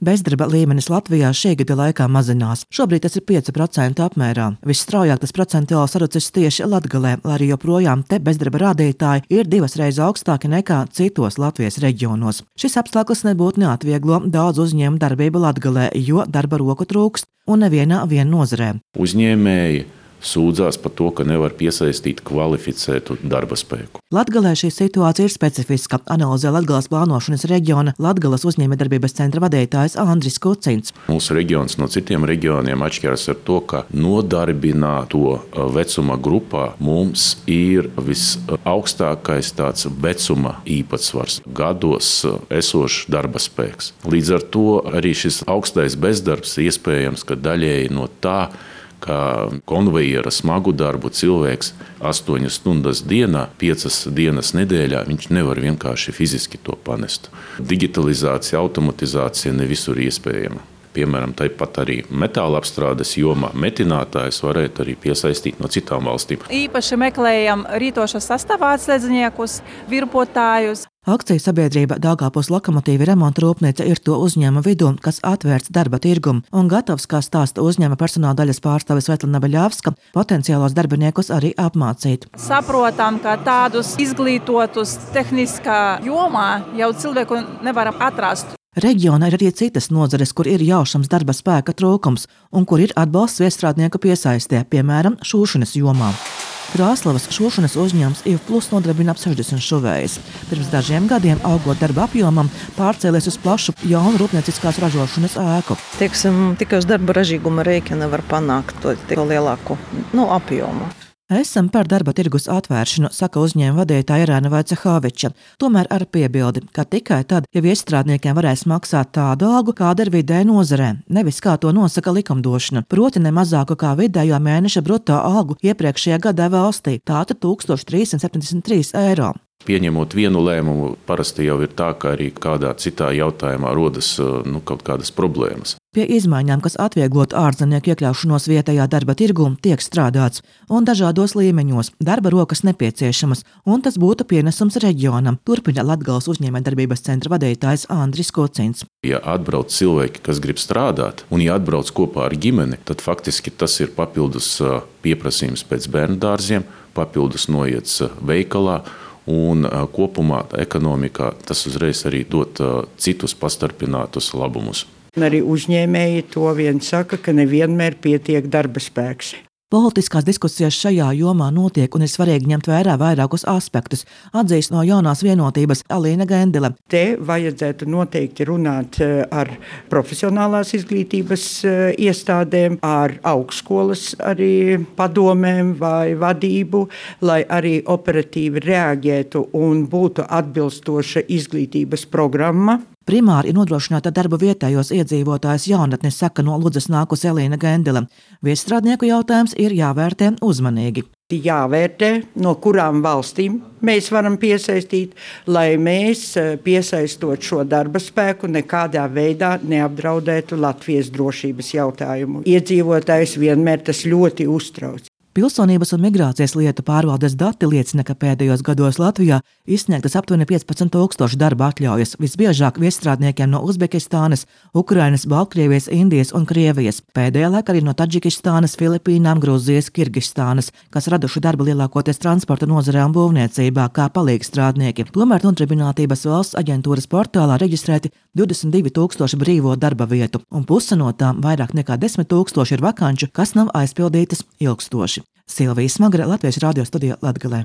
Bezdarba līmenis Latvijā šī gada laikā mazinās. Šobrīd tas ir 5% apmērā. Visstraujāk tas procentuāli sarucis tieši Latgalē, lai arī joprojām te bezdarba rādītāji ir 2 reizes augstāki nekā citos Latvijas reģionos. Šis apstākļus nebūtu neatvieglo daudz uzņēmumu darbību Latgalē, jo darba roku trūkst un nevienā nozarē. Uzņēmēji sūdzās par to, ka nevar piesaistīt kvalificētu darba spēku. Latgalē šī situācija ir specifiska, analizē Latgales plānošanas reģiona Latgales uzņēmējdarbības centra vadītājs Andris Kucins. Mūsu reģions no citiem reģioniem atšķiras ar to, ka nodarbināto vecuma grupā mums ir visaugstākais tāds vecuma īpatsvars, gados esošs darba spēks. Līdz ar to arī šis augstais bezdarbs iespējams, ka daļēji no tā, kā konvejera smagu darbu cilvēks 8 stundas dienā, 5 dienas nedēļā, viņš nevar vienkārši fiziski to panest. Digitalizācija, automatizācija ne visur iespējama. Piemēram, tāpat arī metāla apstrādes jomā metinātājus varētu arī piesaistīt no citām valstīm. Īpaši meklējam rītošas sastāvā atslēdzniekus, virpotājus. Akciju sabiedrība Daugavpils Lokomotīvi remonta rūpnīca ir to uzņēmuma vidū, kas atvērts darba tirgumu un gatavs, kā stāsta uzņēmuma personāla daļas pārstāve Svetlana Beļavska, potenciālos darbiniekus arī apmācīt. Saprotam, ka tādus izglītotus tehniskā jomā jau cilvēku nevaram atrast. Reģionā ir arī citas nozares, kur ir jaušams darba spēka trūkums un kur ir atbalsts viestrādnieku piesaistē, piemēram, šūšanas jomā. Krāslavas šūšanas uzņēmums IV+ nodarbina ap 60 šuvējus. Pirms dažiem gadiem, augot darba apjomam, pārcēlies uz plašu jaunu rūpnieciskās ražošanas ēku. Tikai uz darba ražīguma rēķina var panākt to lielāku apjomu. Esam par darba tirgus atvēršanu, saka uzņēmuma vadītāja Irēna Vaicehoviča. Tomēr ar piebildi, ka tikai tad, ja viestrādniekiem varēs maksāt tādu algu, kāda ir vidēji nozarē, nevis kā to nosaka likumdošana, proti ne mazāku kā vidējo mēneša bruto algu iepriekšējā gadā valstī, tātad 1373 eiro. Pieņemot vienu lēmumu, parasti jau ir tā, ka arī kādā citā jautājumā rodas kaut kādas problēmas. Pie izmaiņām, kas atvieglotu ārzemnieku iekļaušanos vietējā darba tirgū, tiek strādāts, un dažādos līmeņos darba rokas nepieciešamas, un tas būtu pienesums reģionam, turpina Latgales uzņēmējdarbības centra vadītājs Andris Kucins. Ja atbrauc cilvēki, kas grib strādāt, un ja atbrauc kopā ar ģimeni, tad faktiski tas ir papildus pieprasījums pēc bērndārziem, papildus noiets veikalā, un kopumā ekonomikā tas uzreiz arī dot citus pastarpinātus labumus. Arī uzņēmēji to vien saka, ka nevienmēr pietiek darba spēks. Politiskās diskusijas šajā jomā notiek un ir svarīgi ņemt vērā vairākus aspektus, atzīst no jaunās vienotības Alīna Gendele. Te vajadzētu noteikti runāt ar profesionālās izglītības iestādēm, ar augstskolas arī padomēm vai vadību, lai arī operatīvi reaģētu un būtu atbilstoša izglītības programma. Primāri ir nodrošināta darba vietējos iedzīvotājus jaunatnes, saka no Ludzas nākus Alīna Gendele. Viestrādnieku jautājums ir jāvērtē uzmanīgi. Jāvērtē, no kurām valstīm mēs varam piesaistīt, lai mēs, piesaistot šo darba spēku, nekādā veidā neapdraudētu Latvijas drošības jautājumu. Iedzīvotājs vienmēr tas ļoti uztrauc. Pilsonības un migrācijas lietu pārvaldes dati liecina, ka pēdējos gados Latvijā izsniegtas aptuveni 15,000 darba atļaujas, visbiežāk viestrādniekiem no Uzbekistānas, Ukrainas, Baltkrievijas, Indijas un Krievijas. Pēdējā laikā arī no Taģikistānas, Filipīnām, Grūzijas, Kirgistānas, kas raduši darbu lielākoties transporta nozarē un būvniecībā kā palīgstrādnieki. Tomēr Nodarbinātības valsts aģentūras portālā reģistrēti 22,000 brīvo darba vietu, un puse no tām, vairāk nekā 10,000, ir vakanču, kas nav aizpildītas ilgstoši. Silvija Smagre, Latvijas radio studija Latgalē.